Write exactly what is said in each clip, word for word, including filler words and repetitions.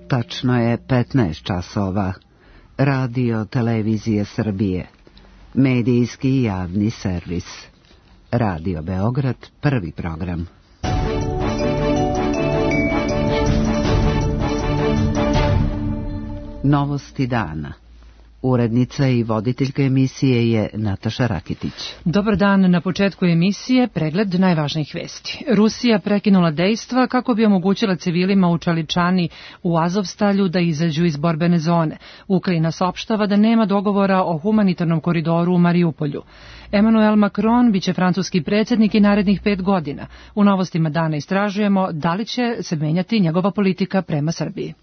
Tačno je petnaest časova. Radio Televizije Srbije. Medijski javni servis. Radio Beograd, prvi program. Novosti dana. Urednica i voditeljka emisije je Nataša Rakitić. Dobar dan, na početku emisije pregled najvažnijih vesti. Rusija prekinula dejstva kako bi omogućila civilima u Čaličani u Azovstalju da izađu iz borbene zone. Ukrajina saopštava da nema dogovora o humanitarnom koridoru u Mariupolju. Emmanuel Macron biće francuski predsjednik i narednih pet godina. U novostima dana istražujemo da li će se menjati njegova politika prema Srbiji.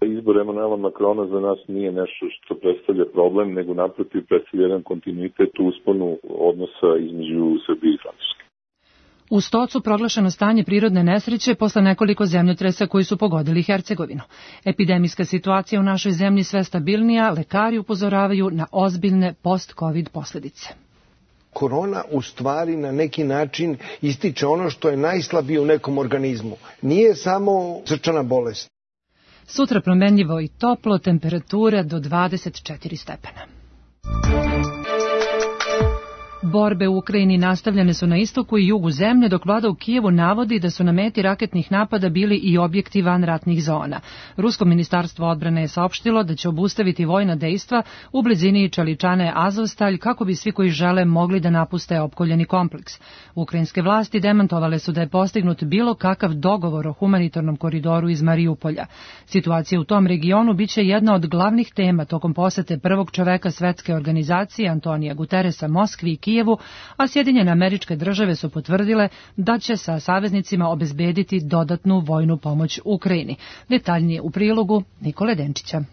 Izbor Emmanuela Macrona za nas nije nešto što predstavlja problem, nego naprotiv predstavlja jedan kontinuitet u usponu odnosa između Srbije i Francuske. U Stocu proglašeno stanje prirodne nesreće posle nekoliko zemljotresa koji su pogodili Hercegovinu. Epidemijska situacija u našoj zemlji sve stabilnija, lekari upozoravaju na ozbiljne post-covid posljedice. Korona u stvari na neki način ističe ono što je najslabije u nekom organizmu. Nije samo srčana bolest. Sutra promenljivo i toplo, temperature do dvadeset četiri stepena. Borbe u Ukrajini nastavljene su na istoku i jugu zemlje, dok vlada u Kijevu navodi da su na meti raketnih napada bili i objekti van ratnih zona. Rusko ministarstvo odbrane je saopštilo da će obustaviti vojna dejstva u blizini Čaličane Azovstalj kako bi svi koji žele mogli da napuste opkoljeni kompleks. Ukrajinske vlasti demantovale su da je postignut bilo kakav dogovor o humanitarnom koridoru iz Mariupolja. Situacija u tom regionu biće jedna od glavnih tema tokom posete prvog čoveka svetske organizacije Antonija Guterresa Moskvi i Kijevu, a Sjedinjene Američke Države su potvrdile da će sa saveznicima obezbediti dodatnu vojnu pomoć Ukrajini. Detaljnije u prilogu Nikole Denčića.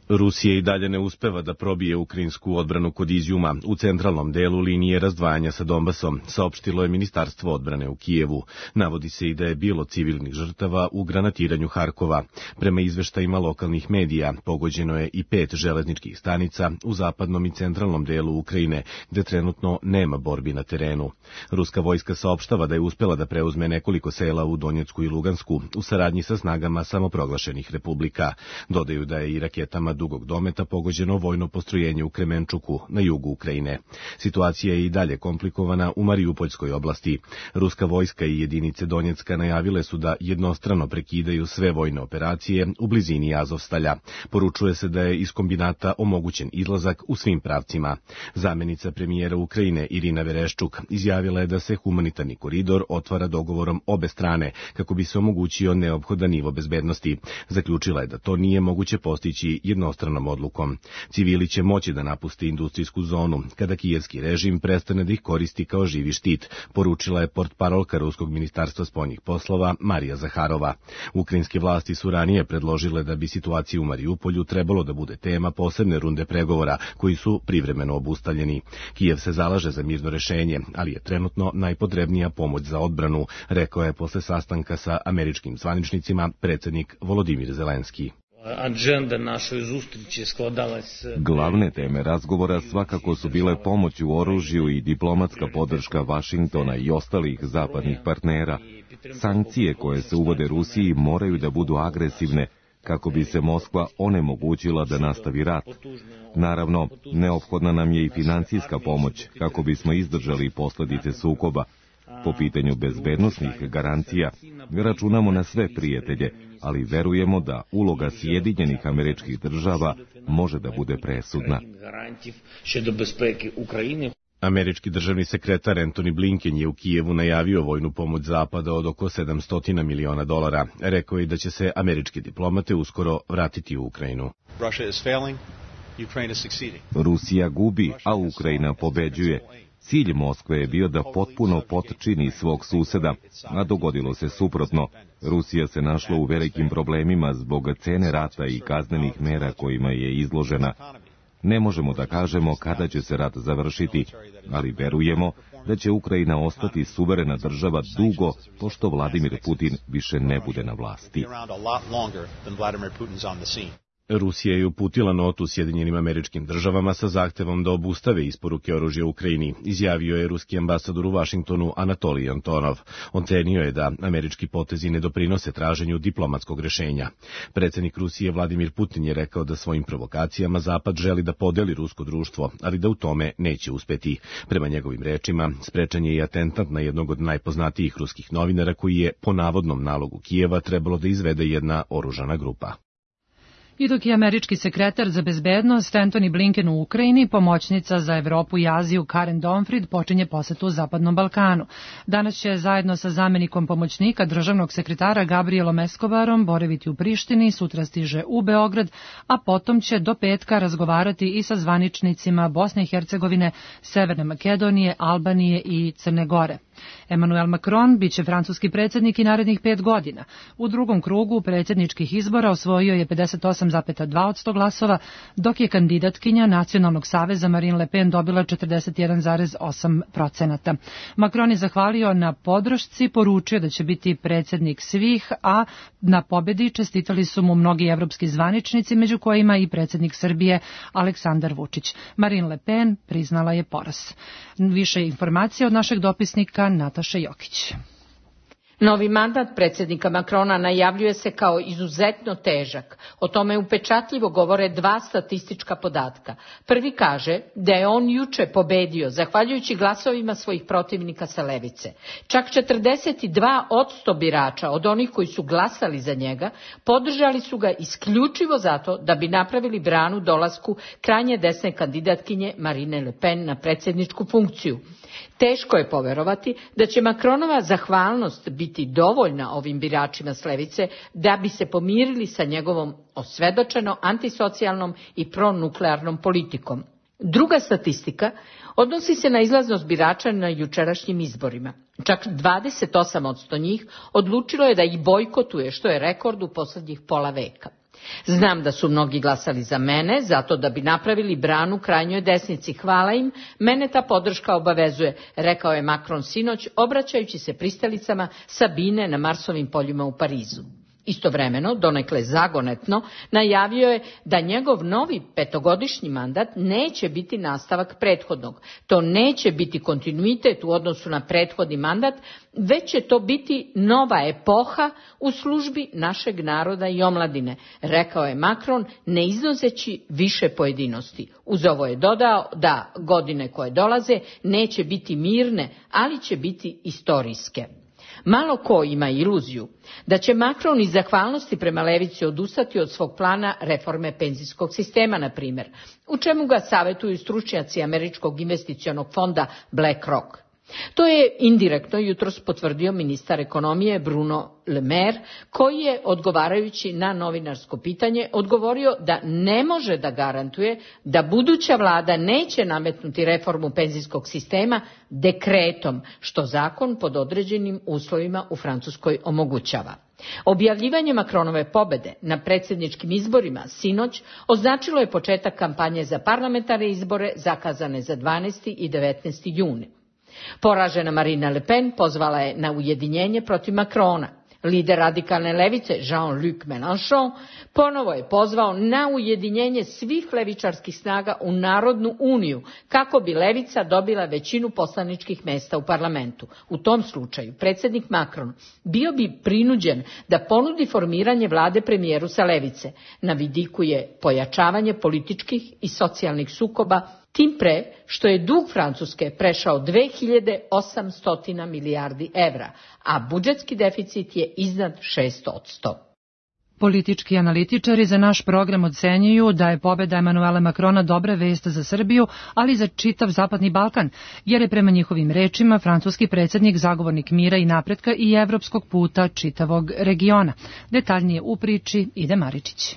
Rusija i dalje ne uspeva da probije ukrajinsku odbranu kod Izjuma u centralnom delu linije razdvajanja sa Donbasom, saopštilo je Ministarstvo odbrane u Kijevu. Navodi se i da je bilo civilnih žrtava u granatiranju Harkova. Prema izveštajima lokalnih medija, pogođeno je i pet železničkih stanica u zapadnom i centralnom delu Ukrajine, gde trenutno nema borbi na terenu. Ruska vojska saopštava da je uspela da preuzme nekoliko sela u Donjecku i Lugansku u saradnji sa snagama samoproglašenih republika. Dodaju da je i raketama dugog dometa pogođeno vojno postrojenje u Kremenčuku na jugu Ukrajine. Situacija je i dalje komplikovana u Mariupoljskoj oblasti. Ruska vojska i jedinice Donjecka najavile su da jednostrano prekidaju sve vojne operacije u blizini Azovstalja. Poručuje se da je iz kombinata omogućen izlazak u svim pravcima. Zamenica premijera Ukrajine Irina Vereščuk izjavila je da se humanitarni koridor otvara dogovorom obe strane kako bi se omogućio neophodan nivo bezbednosti. Zaključila je da to nije moguće postići jedno jednostranom odlukom. Civili će moći da napuste industrijsku zonu kada kijevski režim prestane da ih koristi kao živi štit, poručila je portparolka Ruskog ministarstva spoljnih poslova Marija Zaharova. Ukrajinske vlasti su ranije predložile da bi situacija u Mariupolju trebalo da bude tema posebne runde pregovora koji su privremeno obustavljeni. Kijev se zalaže za mirno rešenje, ali je trenutno najpotrebnija pomoć za odbranu, rekao je posle sastanka sa američkim zvaničnicima predsjednik Volodimir Zelenski. Glavne teme razgovora svakako su bile pomoć u oružju i diplomatska podrška Vašingtona i ostalih zapadnih partnera. Sankcije koje se uvode Rusiji moraju da budu agresivne kako bi se Moskva onemogućila da nastavi rat. Naravno, neophodna nam je i financijska pomoć kako bismo izdržali posljedice sukoba. Po pitanju bezbednosnih garancija računamo na sve prijatelje, ali verujemo da uloga Sjedinjenih Američkih Država može da bude presudna. Američki državni sekretar Antony Blinken je u Kijevu najavio vojnu pomoć Zapada od oko sedamsto miliona dolara. Rekao je da će se američki diplomate uskoro vratiti u Ukrajinu. Rusija gubi, a Ukrajina pobeđuje. Cilj Moskve je bio da potpuno potčini svog suseda, a dogodilo se suprotno. Rusija se našla u velikim problemima zbog cene rata i kaznenih mera kojima je izložena. Ne možemo da kažemo kada će se rat završiti, ali verujemo da će Ukrajina ostati suverena država dugo, pošto Vladimir Putin više ne bude na vlasti. Rusija je uputila notu Sjedinjenim Američkim Državama sa zahtevom da obustave isporuke oružja Ukrajini, izjavio je ruski ambasador u Vašingtonu Anatolij Antonov. On cenio je da američki potezi ne doprinose traženju diplomatskog rešenja. Predsednik Rusije Vladimir Putin je rekao da svojim provokacijama Zapad želi da podeli rusko društvo, ali da u tome neće uspeti. Prema njegovim rečima, sprečen je i atentat na jednog od najpoznatijih ruskih novinara koji je po navodnom nalogu Kijeva trebalo da izvede jedna oružana grupa. I dok je američki sekretar za bezbednost Antony Blinken u Ukrajini, pomoćnica za Evropu i Aziju Karen Donfrid počinje posetu u Zapadnom Balkanu. Danas će zajedno sa zamenikom pomoćnika državnog sekretara Gabrielom Escobarom boraviti u Prištini, sutra stiže u Beograd, a potom će do petka razgovarati i sa zvaničnicima Bosne i Hercegovine, Severne Makedonije, Albanije i Crne Gore. Emmanuel Macron biće francuski predsjednik i narednih pet godina. U drugom krugu predsjedničkih izbora osvojio je pedeset osam zarez dva posto glasova, dok je kandidatkinja Nacionalnog saveza Marine Le Pen dobila četrdeset jedan zarez osam procenata. Macron je zahvalio na podršci, poručio da će biti predsjednik svih, a na pobedi čestitali su mu mnogi evropski zvaničnici, među kojima i predsjednik Srbije Aleksandar Vučić. Marine Le Pen priznala je poraz. Više informacija od našeg dopisnika Nataše Jokić. Novi mandat predsjednika Macrona najavljuje se kao izuzetno težak. O tome upečatljivo govore dva statistička podatka. Prvi kaže da je on juče pobedio zahvaljujući glasovima svojih protivnika sa levice. Čak četrdeset dva posto birača od onih koji su glasali za njega podržali su ga isključivo zato da bi napravili branu dolasku krajnje desne kandidatkinje Marine Le Pen na predsjedničku funkciju. Teško je poverovati da će Macronova zahvalnost biti dovoljna ovim biračima s levice da bi se pomirili sa njegovom osvedočeno antisocijalnom i pronuklearnom politikom. Druga statistika odnosi se na izlaznost birača na jučerašnjim izborima. Čak dvadeset osam posto njih odlučilo je da ih bojkotuje, što je rekord u posljednjih pola veka. Znam da su mnogi glasali za mene, zato da bi napravili branu krajnjoj desnici. Hvala im, mene ta podrška obavezuje, rekao je Macron sinoć, obraćajući se pristalicama Sabine na Marsovim poljima u Parizu. Istovremeno, donekle zagonetno, najavio je da njegov novi petogodišnji mandat neće biti nastavak prethodnog. To neće biti kontinuitet u odnosu na prethodni mandat, već će to biti nova epoha u službi našeg naroda i omladine, rekao je Macron, ne iznoseći više pojedinosti. Uz ovo je dodao da godine koje dolaze neće biti mirne, ali će biti istorijske. Malo ko ima iluziju da će Macron iz zahvalnosti prema levici odustati od svog plana reforme penzijskog sistema, na primjer, u čemu ga savjetuju stručnjaci američkog investicionog fonda BlackRock. To je indirektno jutros potvrdio ministar ekonomije Bruno Le Maire, koji je, odgovarajući na novinarsko pitanje, odgovorio da ne može da garantuje da buduća vlada neće nametnuti reformu penzijskog sistema dekretom, što zakon pod određenim uslovima u Francuskoj omogućava. Objavljivanje Macronove pobede na predsjedničkim izborima sinoć označilo je početak kampanje za parlamentarne izbore zakazane za dvanaesti i devetnaesti juni. Poražena Marine Le Pen pozvala je na ujedinjenje protiv Macrona. Lider radikalne levice Jean-Luc Mélenchon ponovo je pozvao na ujedinjenje svih levičarskih snaga u Narodnu uniju kako bi levica dobila većinu poslaničkih mjesta u parlamentu. U tom slučaju predsjednik Macron bio bi prinuđen da ponudi formiranje vlade premijeru sa levice. Na vidiku je pojačavanje političkih i socijalnih sukoba, tim pre što je dug Francuske prešao dve hiljade osamsto milijardi evra, a budžetski deficit je iznad šest posto. Politički analitičari za naš program ocenjuju da je pobeda Emmanuela Macrona dobra vest za Srbiju, ali i za čitav Zapadni Balkan, jer je prema njihovim rečima francuski predsjednik zagovornik mira i napretka i evropskog puta čitavog regiona. Detaljnije u priči Ide Maričić.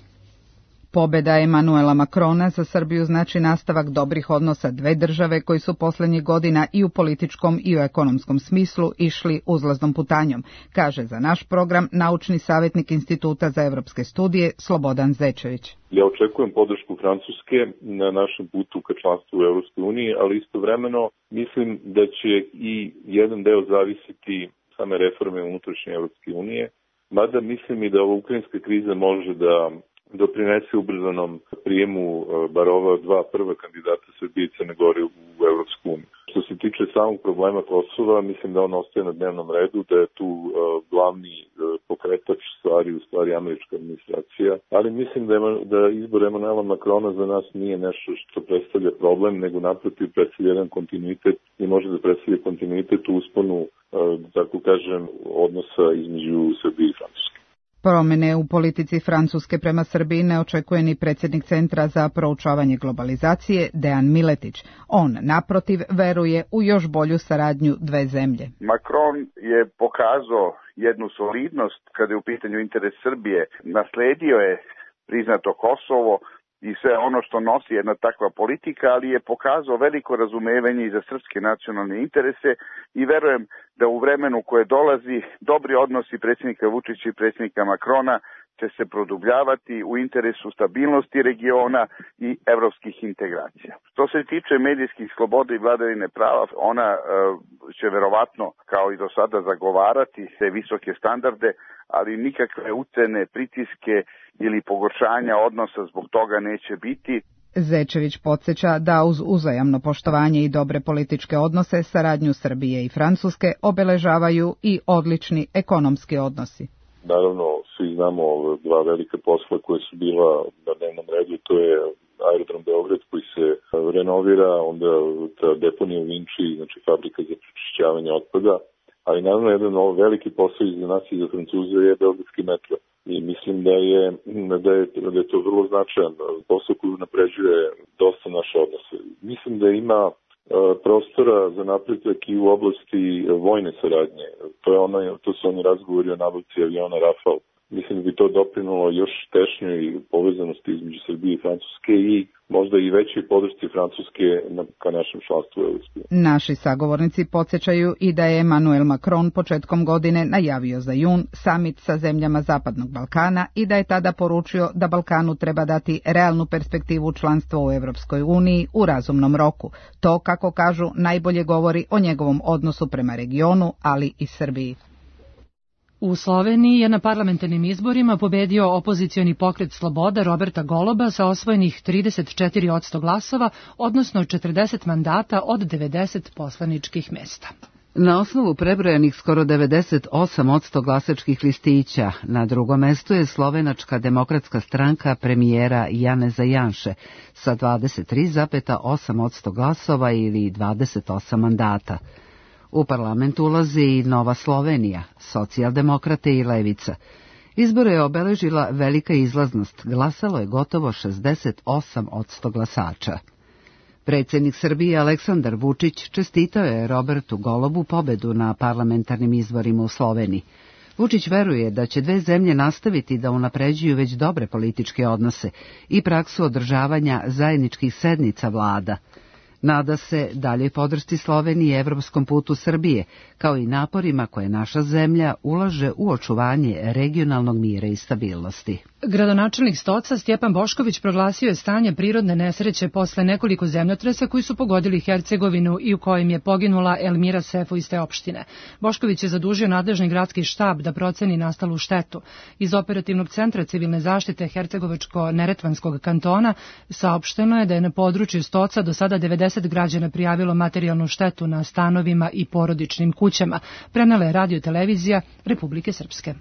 Pobeda Emmanuela Macrona za Srbiju znači nastavak dobrih odnosa dve države koji su poslednjih godina i u političkom i u ekonomskom smislu išli uzlaznom putanjom, kaže za naš program naučni savjetnik Instituta za evropske studije Slobodan Zečević. Ja očekujem podršku Francuske na našem putu ka članstvu u Evropskoj uniji, ali istovremeno mislim da će i jedan deo zavisiti same reforme unutrašnje Evropske unije, mada mislim i da ova ukrajinska kriza može da doprinese ubrzanom prijemu bar ova dva prva kandidata Srbije i Crne Gore u Evropsku uniju. Što se tiče samog problema Kosova, mislim da on ostaje na dnevnom redu, da je tu uh, glavni uh, pokretač stvari, u stvari američka administracija, ali mislim da, je, da izbor Emanuela Makrona za nas nije nešto što predstavlja problem, nego naprotiv predstavlja jedan kontinuitet i može da predstavlja kontinuitet u usponu, uh, tako kažem, odnosa između Srbije i Francuske. Promene u politici Francuske prema Srbiji ne očekuje ni predsjednik Centra za proučavanje globalizacije Dejan Miletić. On, naprotiv, veruje u još bolju saradnju dve zemlje. Macron je pokazao jednu solidnost kada je u pitanju interes Srbije. Nasledio je priznato Kosovo i sve ono što nosi jedna takva politika, ali je pokazao veliko razumevanje i za srpske nacionalne interese i verujem da u vremenu koje dolazi dobri odnosi predsjednika Vučića i predsjednika Makrona će se produbljavati u interesu stabilnosti regiona i evropskih integracija. Što se tiče medijskih sloboda i vladavine prava, ona e, će verovatno kao i do sada zagovarati te visoke standarde, ali nikakve ucene, pritiske ili pogoršanja odnosa zbog toga neće biti. Zečević podsjeća da uz uzajamno poštovanje i dobre političke odnose saradnju Srbije i Francuske obeležavaju i odlični ekonomski odnosi. Naravno, svi znamo dva velika posla koje su bila na dnevnom redu, to je aerodrom Beograd koji se renovira, onda ta deponija u Vinči, znači fabrika za prečišćavanje otpada, ali naravno jedan veliki posao i za nas i za Francuze je beogradski metro. I mislim da je, da je, da je to vrlo značajan posao koji napređuje dosta naše odnose. Mislim da ima prostora za napredak i u oblasti vojne saradnje. To, je ono, to su oni razgovori o nabavci aviona Rafale. Mislim da bi to doprinulo još tešnjoj povezanosti između Srbije i Francuske i možda i većoj podršci Francuske ka našem članstvu u Evropskoj uniji. Naši sagovornici podsjećaju i da je Emmanuel Macron početkom godine najavio za jun samit sa zemljama Zapadnog Balkana i da je tada poručio da Balkanu treba dati realnu perspektivu članstva u Evropskoj uniji u razumnom roku. To, kako kažu, najbolje govori o njegovom odnosu prema regionu, ali i Srbiji. U Sloveniji je na parlamentarnim izborima pobedio opozicioni pokret Sloboda Roberta Goloba sa osvojenih trideset četiri posto glasova, odnosno četrdeset mandata od devedeset poslaničkih mesta. Na osnovu prebrojanih skoro devedeset osam posto glasačkih listića, na drugom mestu je Slovenačka demokratska stranka premijera Janeza Janše sa dvadeset tri zarez osam posto glasova ili dvadeset osam mandata. U parlament ulazi i Nova Slovenija, socijaldemokrate i levica. Izbore je obeležila velika izlaznost, glasalo je gotovo šezdeset osam posto glasača. Predsjednik Srbije Aleksandar Vučić čestitao je Robertu Golobu pobedu na parlamentarnim izborima u Sloveniji. Vučić veruje da će dve zemlje nastaviti da unapređuju već dobre političke odnose i praksu održavanja zajedničkih sednica vlada. Nada se daljoj podršci Sloveniji i evropskom putu Srbije, kao i naporima koje naša zemlja ulaže u očuvanje regionalnog mira i stabilnosti. Gradonačelnik Stoca Stjepan Bošković proglasio je stanje prirodne nesreće posle nekoliko zemljotresa koji su pogodili Hercegovinu i u kojim je poginula Elmira Sefo iz te opštine. Bošković je zadužio nadležni gradski štab da proceni nastalu štetu. Iz operativnog centra civilne zaštite Hercegovačko-Neretvanskog kantona saopšteno je da je na području Stoca do sada devedeset građana prijavilo materijalnu štetu na stanovima i porodičnim kućama, prenela je radio-televizija Republike Srpske.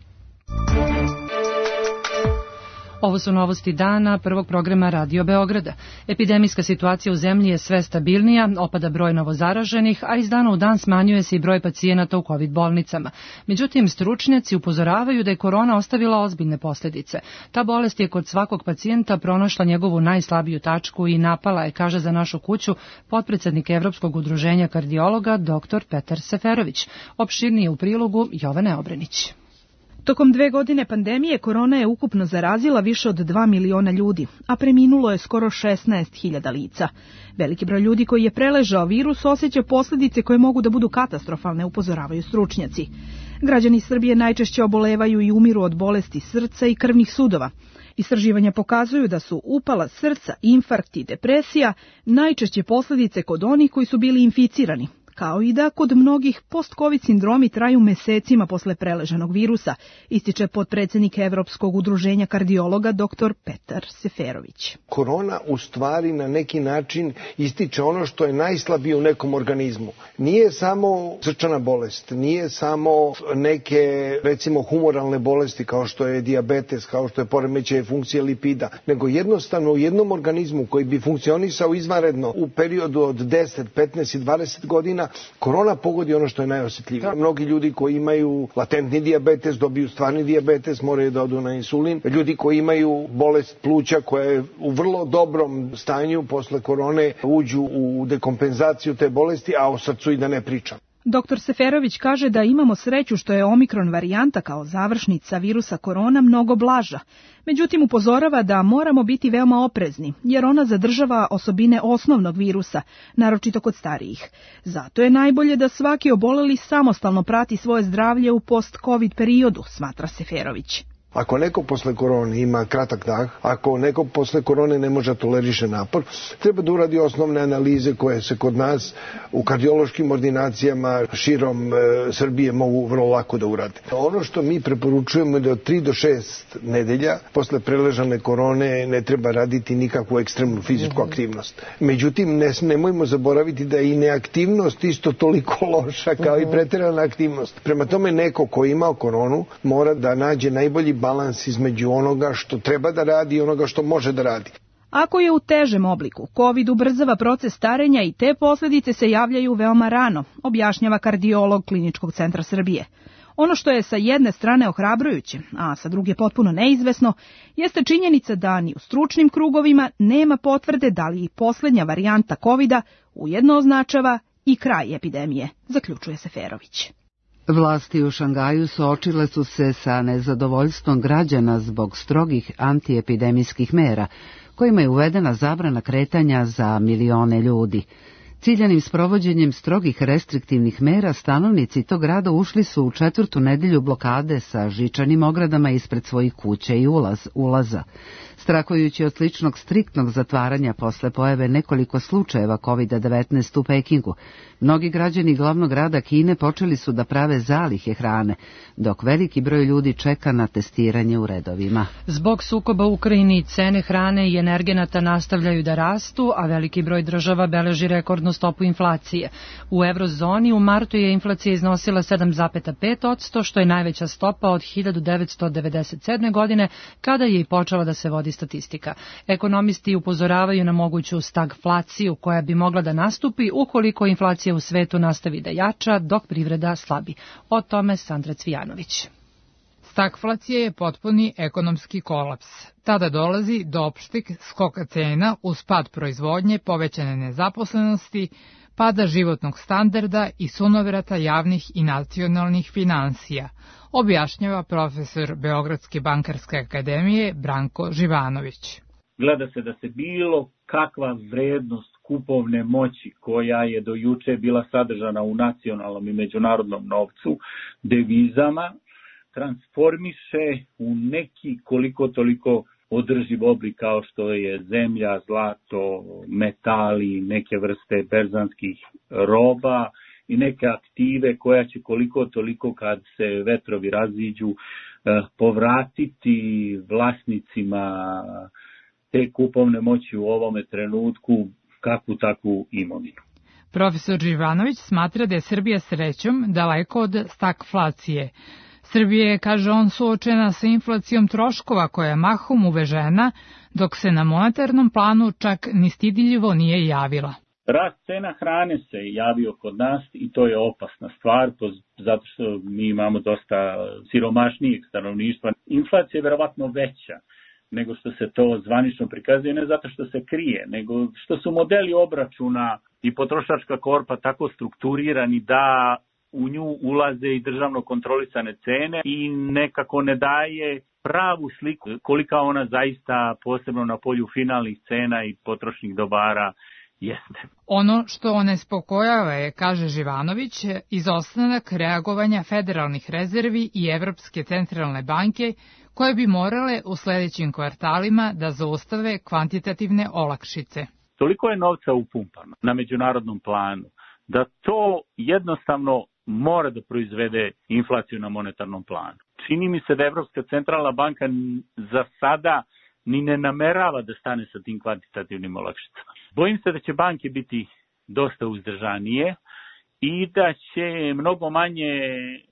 Ovo su novosti dana prvog programa Radio Beograda. Epidemijska situacija u zemlji je sve stabilnija, opada broj novozaraženih, a iz dana u dan smanjuje se i broj pacijenata u COVID bolnicama. Međutim, stručnjaci upozoravaju da je korona ostavila ozbiljne posljedice. Ta bolest je kod svakog pacijenta pronašla njegovu najslabiju tačku i napala je, kaže za našu kuću, potpredsjednik Evropskog udruženja kardiologa dr. Petar Seferović. Opširnije u prilogu Jovane Obrenić. Tokom dve godine pandemije korona je ukupno zarazila više od dva miliona ljudi, a preminulo je skoro šesnaest hiljada lica. Veliki broj ljudi koji je preležao virus osjeća posljedice koje mogu da budu katastrofalne, upozoravaju stručnjaci. Građani Srbije najčešće obolevaju i umiru od bolesti srca i krvnih sudova. Istraživanja pokazuju da su upala srca, infarkt i depresija najčešće posljedice kod onih koji su bili inficirani, kao i da kod mnogih post-covid sindromi traju mesecima posle preleženog virusa, ističe potpredsednik Evropskog udruženja kardiologa dr Petar Seferović. Korona u stvari na neki način ističe ono što je najslabije u nekom organizmu. Nije samo srčana bolest, nije samo neke recimo humoralne bolesti kao što je dijabetes, kao što je poremećaj funkcije lipida, nego jednostavno u jednom organizmu koji bi funkcionisao izvanredno u periodu od deset, petnaest i dvadeset godina, korona pogodi ono što je najosjetljivije. Mnogi ljudi koji imaju latentni dijabetes dobiju stvarni dijabetes, moraju da odu na insulin. Ljudi koji imaju bolest pluća koja je u vrlo dobrom stanju posle korone uđu u dekompenzaciju te bolesti, a o srcu i da ne pričam. doktor Seferović kaže da imamo sreću što je omikron varijanta kao završnica virusa korona mnogo blaža. Međutim, upozorava da moramo biti veoma oprezni, jer ona zadržava osobine osnovnog virusa, naročito kod starijih. Zato je najbolje da svaki oboleli samostalno prati svoje zdravlje u post-covid periodu, smatra Seferović. Ako neko posle korone ima kratak dah, ako neko posle korone ne može toleriše napor, treba da uradi osnovne analize koje se kod nas u kardiološkim ordinacijama širom e, Srbije mogu vrlo lako da urade. Ono što mi preporučujemo je da od tri do šest nedelja posle preležane korone ne treba raditi nikakvu ekstremnu fizičku aktivnost. Međutim, ne, nemojmo zaboraviti da je i neaktivnost isto toliko loša kao i preterana aktivnost. Prema tome, neko ko je imao koronu mora da nađe najbolji balans između onoga što treba da radi i onoga što može da radi. Ako je u težem obliku, COVID ubrzava proces starenja i te posljedice se javljaju veoma rano, objašnjava kardiolog Kliničkog centra Srbije. Ono što je sa jedne strane ohrabrujuće, a sa druge potpuno neizvesno, jeste činjenica da ni u stručnim krugovima nema potvrde da li i posljednja varijanta kovida ujedno označava i kraj epidemije, zaključuje Seferović. Vlasti u Šangaju suočile su se sa nezadovoljstvom građana zbog strogih antiepidemijskih mera, kojima je uvedena zabrana kretanja za milione ljudi. Ciljanim sprovođenjem strogih restriktivnih mera stanovnici tog grada ušli su u četvrtu nedelju blokade sa žičanim ogradama ispred svojih kuća i ulaz, ulaza. Strahujući od sličnog striktnog zatvaranja posle pojave nekoliko slučajeva kovid devetnaest u Pekingu, mnogi građani glavnog grada Kine počeli su da prave zalihe hrane, dok veliki broj ljudi čeka na testiranje u redovima. Zbog sukoba u Ukrajini cene hrane i energenata nastavljaju da rastu, a veliki broj država beleži rekordnu stopu inflacije. U eurozoni u martu je inflacija iznosila sedam zarez pet posto, što je najveća stopa od hiljadu devetsto devedeset sedme. godine, kada je i počela da se vodi statistika. Ekonomisti upozoravaju na moguću stagflaciju koja bi mogla da nastupi ukoliko inflacija u svetu nastavi da jača, dok privreda slabi. O tome Sandra Cvijanović. Stagflacija je potpuni ekonomski kolaps. Tada dolazi do opšteg skoka cena uz pad proizvodnje, povećane nezaposlenosti, pada životnog standarda i sunovrata javnih i nacionalnih finansija, objašnjava profesor Beogradske bankarske akademije Branko Živanović. Gleda se da se bilo kakva vrednost kupovne moći koja je do juče bila sadržana u nacionalnom i međunarodnom novcu, devizama, transformiše u neki koliko toliko održiv oblik kao što je zemlja, zlato, metali, neke vrste berzanskih roba i neke aktive koja će koliko toliko kad se vetrovi raziđu povratiti vlasnicima te kupovne moći u ovome trenutku kakvu takvu imovinu. Profesor Živanović smatra da je Srbija srećom daleko od stagflacije. Srbija je, kaže on, suočena sa inflacijom troškova koja je mahom uvežena, dok se na monetarnom planu čak ni stidljivo nije javila. Rast cena hrane se javio kod nas i to je opasna stvar, zato što mi imamo dosta siromašnijeg stanovništva. Inflacija je verovatno veća nego što se to zvanično prikazuje, ne zato što se krije, nego što su modeli obračuna i potrošačka korpa tako strukturirani da u nju ulaze i državno kontrolisane cene i nekako ne daje pravu sliku kolika ona zaista posebno na polju finalnih cena i potrošnih dobara jeste. Ono što onespokojava je, kaže Živanović, izostanak reagovanja federalnih rezervi i Evropske centralne banke koje bi morale u sledećim kvartalima da zaustave kvantitativne olakšice. Toliko je novca upumpano na međunarodnom planu da to jednostavno mora da proizvede inflaciju na monetarnom planu. Čini mi se da Evropska centralna banka za sada ni ne namerava da stane sa tim kvantitativnim olakšicama. Bojim se da će banke biti dosta uzdržanije i da će mnogo manje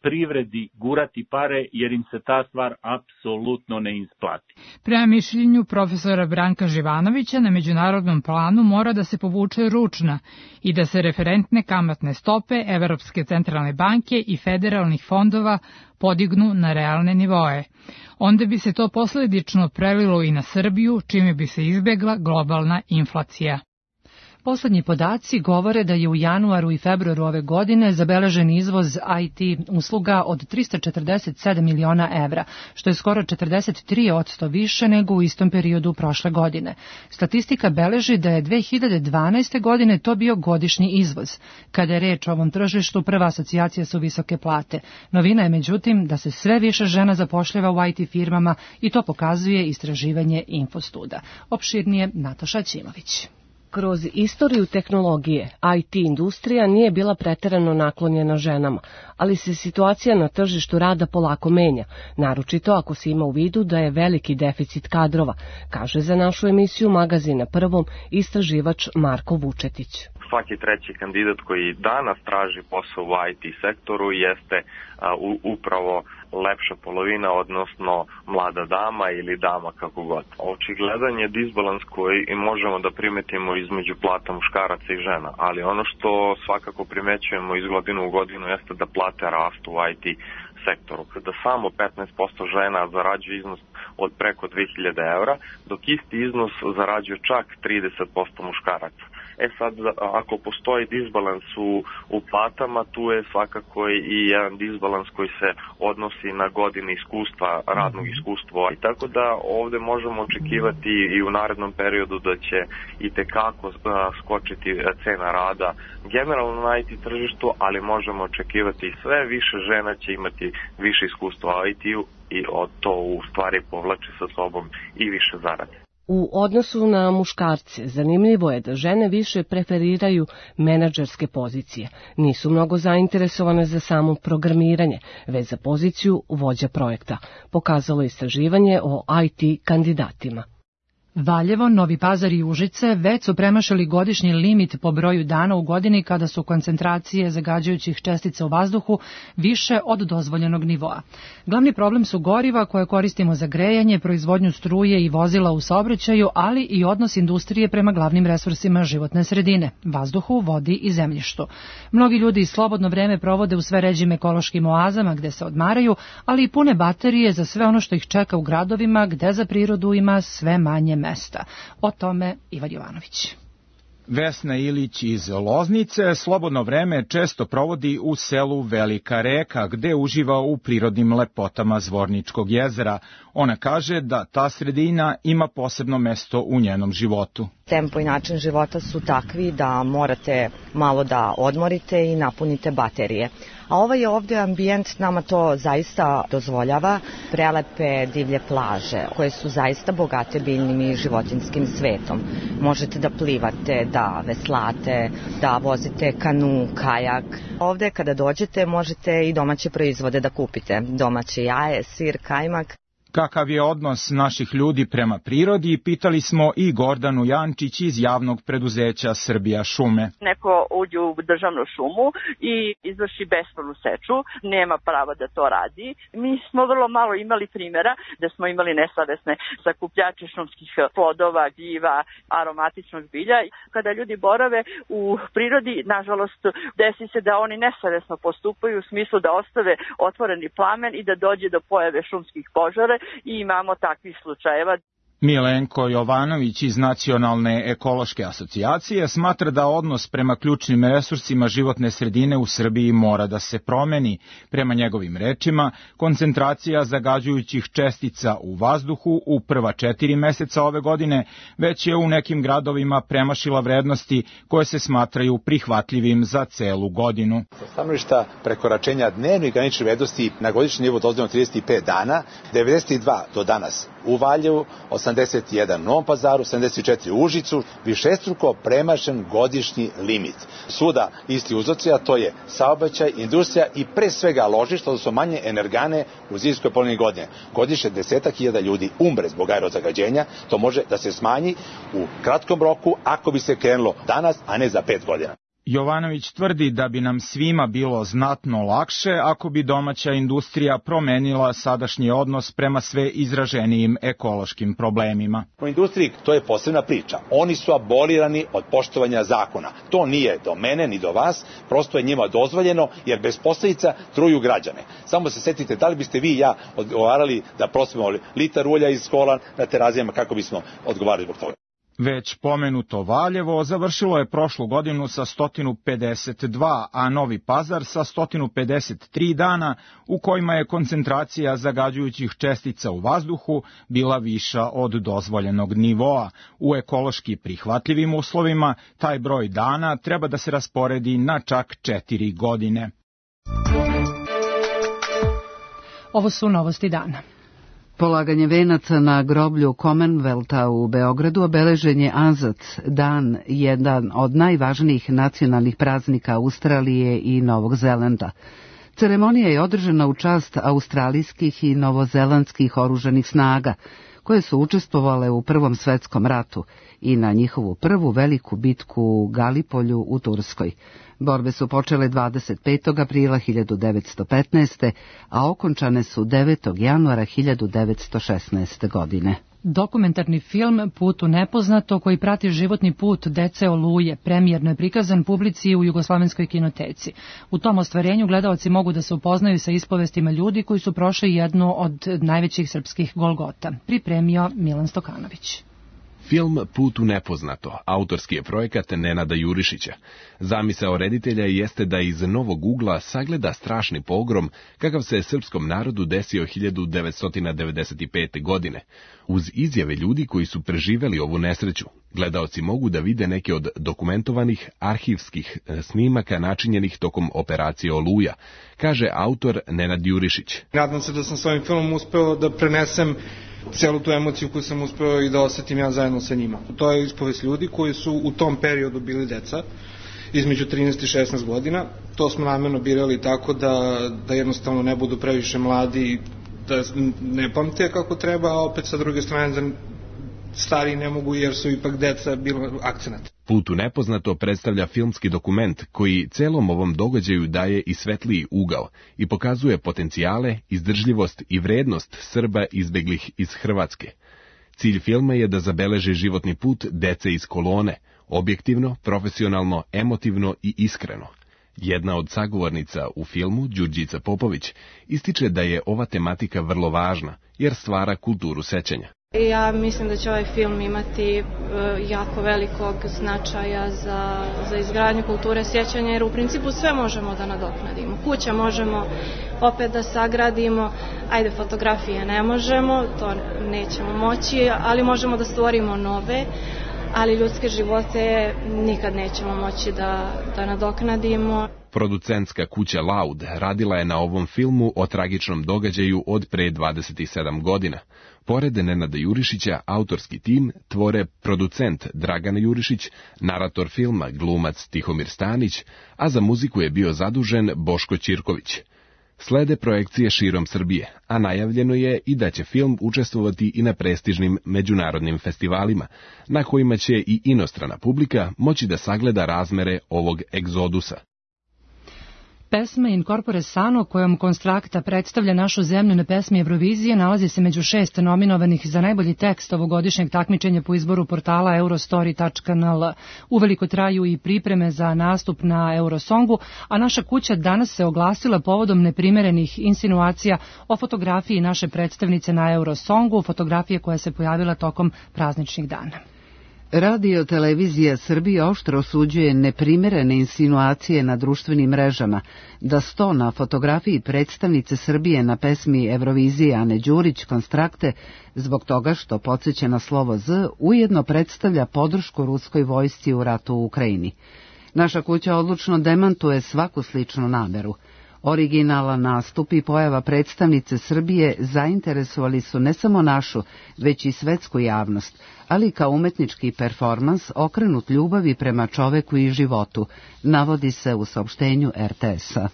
privredi gurati pare jer im se ta stvar apsolutno ne isplati. Prema mišljenju profesora Branka Živanovića, na međunarodnom planu mora da se povuče ručna i da se referentne kamatne stope Evropske centralne banke i federalnih fondova podignu na realne nivoe. Onda bi se to posledično prelilo i na Srbiju, čime bi se izbegla globalna inflacija. Poslednji podaci govore da je u januaru i februaru ove godine zabeležen izvoz I T usluga od trista četrdeset sedam miliona evra, što je skoro četrdeset tri posto više nego u istom periodu prošle godine. Statistika beleži da je dve hiljade dvanaeste. godine to bio godišnji izvoz. Kada je reč o ovom tržištu, prva asocijacija su visoke plate. Novina je međutim da se sve više žena zapošljava u I T firmama i to pokazuje istraživanje Infostuda. Opširnije Nataša Ćimović. Kroz istoriju tehnologije, I T industrija nije bila preterano naklonjena ženama, ali se situacija na tržištu rada polako menja, naročito ako se ima u vidu da je veliki deficit kadrova, kaže za našu emisiju Magazina Prvom istraživač Marko Vučetić. Svaki treći kandidat koji danas traži posao u I T sektoru jeste a, u, upravo lepša polovina, odnosno mlada dama ili dama kako god. Očigledan je disbalans koji možemo da primetimo između plata muškaraca i žena, ali ono što svakako primećujemo iz godine u godinu jeste da plate rastu u I T sektoru. Kada samo petnaest posto žena zarađuje iznos od preko dve hiljade evra, dok isti iznos zarađuje čak trideset posto muškaraca. E sad, ako postoji disbalans u, u platama, tu je svakako i jedan disbalans koji se odnosi na godine iskustva, radnog iskustva. I tako da ovde možemo očekivati i u narednom periodu da će i tekako skočiti cena rada generalno na I T tržištu, ali možemo očekivati i sve više žena će imati više iskustva u I T-u i od to u stvari povlači sa sobom i više zarade. U odnosu na muškarce, zanimljivo je da žene više preferiraju menadžerske pozicije. Nisu mnogo zainteresovane za samo programiranje, već za poziciju vođa projekta, pokazalo istraživanje o I T kandidatima. Valjevo, Novi Pazar i Užice već su premašili godišnji limit po broju dana u godini kada su koncentracije zagađujućih čestica u vazduhu više od dozvoljenog nivoa. Glavni problem su goriva koje koristimo za grejanje, proizvodnju struje i vozila u saobraćaju, ali i odnos industrije prema glavnim resursima životne sredine, vazduhu, vodi i zemljištu. Mnogi ljudi slobodno vreme provode u sve ređim ekološkim oazama gde se odmaraju, ali i pune baterije za sve ono što ih čeka u gradovima gde za prirodu ima sve manje mesta. O tome Ivan Jovanović. Vesna Ilić iz Loznice slobodno vreme često provodi u selu Velika Reka, gde uživa u prirodnim lepotama Zvorničkog jezera. Ona kaže da ta sredina ima posebno mesto u njenom životu. Tempo i način života su takvi da morate malo da odmorite i napunite baterije. A ovaj ovde ambijent nama to zaista dozvoljava, prelepe divlje plaže koje su zaista bogate biljnim i životinskim svetom. Možete da plivate, da veslate, da vozite kanu, kajak. Ovde kada dođete možete i domaće proizvode da kupite, domaće jaje, sir, kajmak. Kakav je odnos naših ljudi prema prirodi, pitali smo i Gordanu Jančić iz javnog preduzeća Srbija šume. Neko uđe u državnu šumu i izvrši bespravnu seču, nema prava da to radi. Mi smo vrlo malo imali primjera da smo imali nesavesne sakupljače šumskih plodova, gljiva, aromatičnog bilja. Kada ljudi borave u prirodi, nažalost, desi se da oni nesavesno postupaju u smislu da ostave otvoreni plamen i da dođe do pojave šumskih požara. I imamo takvih slučajeva. Milenko Jovanović iz Nacionalne ekološke asocijacije smatra da odnos prema ključnim resursima životne sredine u Srbiji mora da se promeni. Prema njegovim rečima, koncentracija zagađujućih čestica u vazduhu u prva četiri meseca ove godine već je u nekim gradovima premašila vrednosti koje se smatraju prihvatljivim za celu godinu. Sa stanovišta prekoračenja dnevnih graničnih vrednosti na godišnji nivo dozvoljeno trideset pet dana, devedeset dva do danas u Valjevu, osamdeset osamdeset jedan u Novom Pazaru, sedamdeset četiri u Užicu, višestruko premašen godišnji limit. Svuda isti uzroci, a to je saobraćaj, industrija i pre svega ložišta, odnosno manje energane u zimskoj polovini godine. Godišnje desetak hiljada ljudi umre zbog aerozagađenja, to može da se smanji u kratkom roku ako bi se krenulo danas, a ne za pet godina. Jovanović tvrdi da bi nam svima bilo znatno lakše ako bi domaća industrija promenila sadašnji odnos prema sve izraženijim ekološkim problemima. U industriji to je posebna priča. Oni su abolirani od poštovanja zakona. To nije do mene ni do vas, prosto je njima dozvoljeno jer bez posljedica truju građane. Samo se setite da li biste vi i ja odgovarali da prosimo litar ulja iz kola na terazijama kako bismo odgovarali zbog toga. Već pomenuto Valjevo završilo je prošlu godinu sa sto pedeset dva, a Novi Pazar sa sto pedeset tri dana u kojima je koncentracija zagađujućih čestica u vazduhu bila viša od dozvoljenog nivoa. U ekološki prihvatljivim uslovima taj broj dana treba da se rasporedi na čak četiri godine. Ovo su novosti dana. Polaganje venaca na groblju Commonwealtha u Beogradu obeležen je Azad, dan, jedan od najvažnijih nacionalnih praznika Australije i Novog Zelanda. Ceremonija je održana u čast australijskih i novozelandskih oružanih snaga, koje su učestvovale u Prvom svetskom ratu i na njihovu prvu veliku bitku u Galipolju u Turskoj. Borbe su počele dvadeset petog aprila hiljadu devetsto petnaeste. a okončane su devetog januara hiljadu devetsto šesnaeste. godine. Dokumentarni film Put u nepoznato, koji prati životni put dece Oluje, premijerno je prikazan publici u Jugoslovenskoj kinoteci. U tom ostvarenju gledaoci mogu da se upoznaju sa ispovestima ljudi koji su prošli jednu od najvećih srpskih Golgota. Pripremio Milan Stokanović. Film Put u nepoznato, autorski je projekat Nenada Jurišića. Zamisao reditelja jeste da iz novog ugla sagleda strašni pogrom kakav se srpskom narodu desio hiljadu devetsto devedeset pete. godine. Uz izjave ljudi koji su preživeli ovu nesreću, gledaoci mogu da vide neke od dokumentovanih arhivskih snimaka načinjenih tokom operacije Oluja, kaže autor Nenad Jurišić. Nadam se da sam s ovim filmom uspeo da prenesem celu tu emociju koju sam uspeo i da osetim ja zajedno sa njima. To je ispovest ljudi koji su u tom periodu bili deca, između trinaest i šesnaest godina. To smo namjerno birali tako da, da jednostavno ne budu previše mladi, da ne pamte kako treba, a opet sa druge strane da stari ne mogu jer su ipak deca bilo akcenat. Put u nepoznato predstavlja filmski dokument koji celom ovom događaju daje i svetliji ugao i pokazuje potencijale, izdržljivost i vrednost Srba izbeglih iz Hrvatske. Cilj filma je da zabeleži životni put dece iz kolone, objektivno, profesionalno, emotivno i iskreno. Jedna od sagovornica u filmu, Đurđica Popović, ističe da je ova tematika vrlo važna jer stvara kulturu sećanja. Ja mislim da će ovaj film imati jako velikog značaja za, za izgradnju kulture sjećanja, jer u principu sve možemo da nadoknadimo. Kuće možemo opet da sagradimo, ajde fotografije ne možemo, to nećemo moći, ali možemo da stvorimo nove, ali ljudske živote nikad nećemo moći da, da nadoknadimo. Producentska kuća Laud radila je na ovom filmu o tragičnom događaju od pre dvadeset sedam godina. Pored Nenada Jurišića, autorski tim tvore producent Dragan Jurišić, narator filma glumac Tihomir Stanić, a za muziku je bio zadužen Boško Ćirković. Slede projekcije širom Srbije, a najavljeno je i da će film učestvovati i na prestižnim međunarodnim festivalima, na kojima će i inostrana publika moći da sagleda razmere ovog egzodusa. Pesma In Corpore Sano, kojom Konstrakta predstavlja našu zemlju na pesmi Eurovizije, nalazi se među šest nominovanih za najbolji tekst ovogodišnjeg takmičenja po izboru portala eurostory tačka n l. Uveliko traju i pripreme za nastup na Eurosongu, a naša kuća danas se oglasila povodom neprimerenih insinuacija o fotografiji naše predstavnice na Eurosongu, fotografije koja se pojavila tokom prazničnih dana. Radio televizija Srbije oštro osuđuje neprimerene insinuacije na društvenim mrežama da sto na fotografiji predstavnice Srbije na pesmi Eurovizije Ane Đurić Konstrakte zbog toga što podsjeća na slovo Z ujedno predstavlja podršku ruskoj vojsci u ratu u Ukrajini. Naša kuća odlučno demantuje svaku sličnu nameru. Originalan nastup i pojava predstavnice Srbije zainteresovali su ne samo našu, već i svetsku javnost, ali kao umetnički performans okrenut ljubavi prema čoveku i životu, navodi se u saopštenju er te es-a.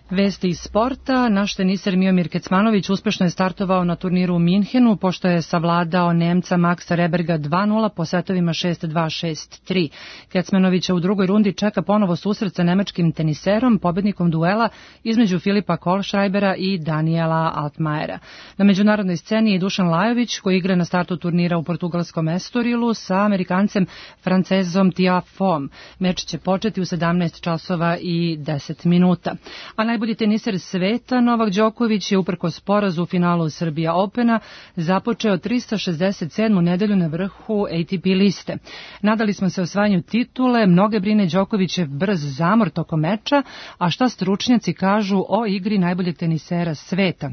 Vesti iz sporta. Naš teniser Miomir Kecmanović uspešno je startovao na turniru u Minhenu, pošto je savladao Nemca Maxa Reberga dva nula po setovima šest dva šest tri. Kecmanovića u drugoj rundi čeka ponovo susret sa nemačkim teniserom, pobednikom duela između Filipa Kohlschreibera i Daniela Altmajera. Na međunarodnoj sceni je Dušan Lajović, koji igra na startu turnira u portugalskom Estorilu sa Amerikancem Francezom Tiafom. Meč će početi u sedamnaest časova i deset minuta. A najbolji teniser sveta Novak Đoković je uprkos porazu u finalu Srbija Opena započeo trista šezdeset sedmu nedelju na vrhu A T P liste. Nadali smo se osvajanju titule, mnoge brine Đokovićev brz zamor tokom meča, a šta stručnjaci kažu o igri najboljeg tenisera sveta?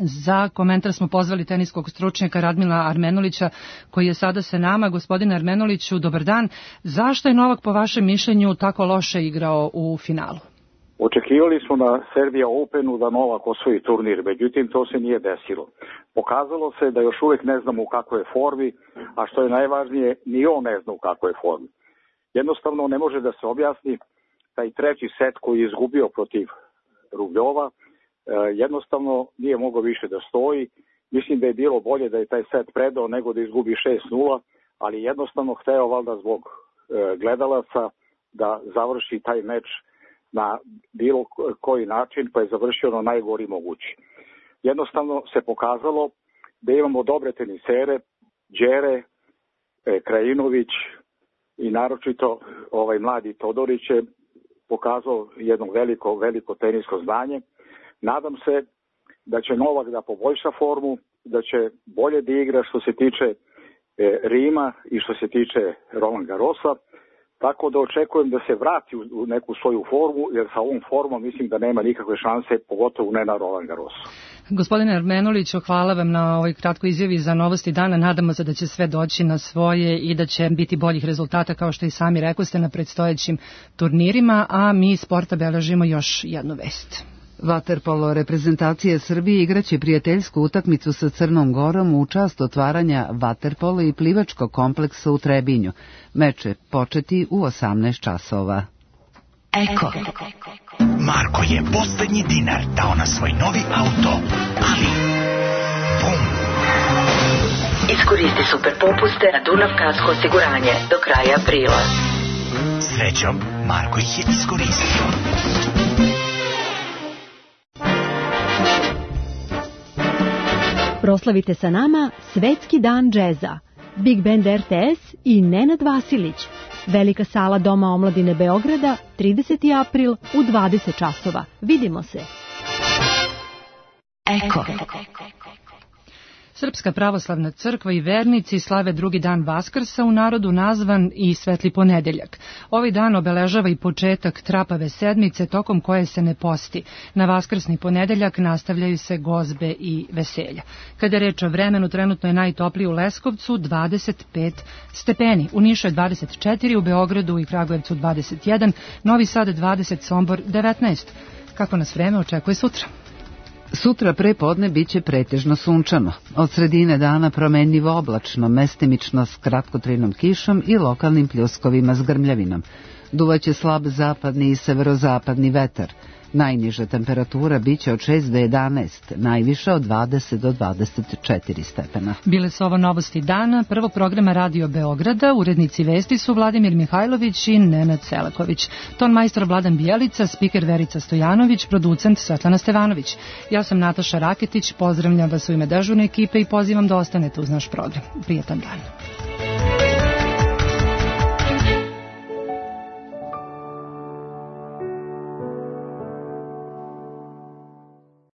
Za komentar smo pozvali teniskog stručnjaka Radmila Armenulića, koji je sada sa nama. Gospodine Armenuliću, dobar dan. Zašto je Novak po vašem mišljenju tako loše igrao u finalu? Očekivali smo na Serbia Openu da Novak osvoji turnir, međutim to se nije desilo. Pokazalo se da još uvijek ne znamo u kakvoj je formi, a što je najvažnije, ni on ne zna u kakvoj je formi. Jednostavno ne može da se objasni taj treći set koji je izgubio protiv Rubljova, jednostavno nije mogao više da stoji. Mislim da je bilo bolje da je taj set predao nego da izgubi šest nula, ali jednostavno hteo valjda zbog gledalaca da završi taj meč na bilo koji način, pa je završio na najgori mogući. Jednostavno se pokazalo da imamo dobre tenisere, Đere, Krajinović i naročito ovaj mladi Todorić je pokazao jedno veliko, veliko tenisko znanje. Nadam se da će Novak da poboljša formu, da će bolje da igra što se tiče Rima i što se tiče Roland Garrosa. Tako da očekujem da se vrati u neku svoju formu, jer sa ovom formom mislim da nema nikakve šanse, pogotovo ne na Roland Garrosu. Gospodine Armenuliću, hvala vam na ovoj kratkoj izjavi za novosti dana. Nadamo se da će sve doći na svoje i da će biti boljih rezultata, kao što i sami rekoste, na predstojećim turnirima, a mi iz sporta beležimo još jednu vest. Vaterpolo reprezentacije Srbije igraće prijateljsku utakmicu sa Crnom Gorom u čast otvaranja vaterpolo i plivačkog kompleksa u Trebinju. Meč će početi u osamnaest časova. Eko. Marko je poslednji dinar dao na svoj novi auto, ali bum. Iskoristi super popuste na Dunav Kasko osiguranje do kraja aprila. Srećom, Marko ih je iskoristio. Proslavite sa nama Svetski dan džeza. Big Band er te es i Nenad Vasilić. Velika sala Doma omladine Beograda, trideseti april u dvadeset časova. Vidimo se. Eko. Srpska pravoslavna crkva i vernici slave drugi dan Vaskrsa, u narodu nazvan i Svetli ponedeljak. Ovaj dan obeležava i početak trapave sedmice, tokom koje se ne posti. Na Vaskrsni ponedeljak nastavljaju se gozbe i veselja. Kada je reč o vremenu, trenutno je najtopliji u Leskovcu dvadeset pet stepeni, u Nišu je dvadeset četiri, u Beogradu i Kragujevcu dvadeset jedan, Novi Sad dvadeset, Sombor devetnaest. Kako nas vreme očekuje sutra? Sutra pre podne biće pretežno sunčano. Od sredine dana promenljivo oblačno, mestimično s kratkotrajnom kišom i lokalnim pljuskovima s grmljavinom. Duvaće slab zapadni i severozapadni vetar. Najniža temperatura biće od šest do jedanaest, najviša od dvadeset do dvadeset četiri stepena. Bile su ovo novosti dana, prvog programa Radio Beograda, urednici vesti su Vladimir Mihajlović i Nenad Selaković. Ton majstor Vladan Bijelica, spiker Verica Stojanović, producent Svetlana Stevanović. Ja sam Nataša Raketić, pozdravljam vas u ime dežurne ekipe i pozivam da ostanete uz naš program. Prijetan dan.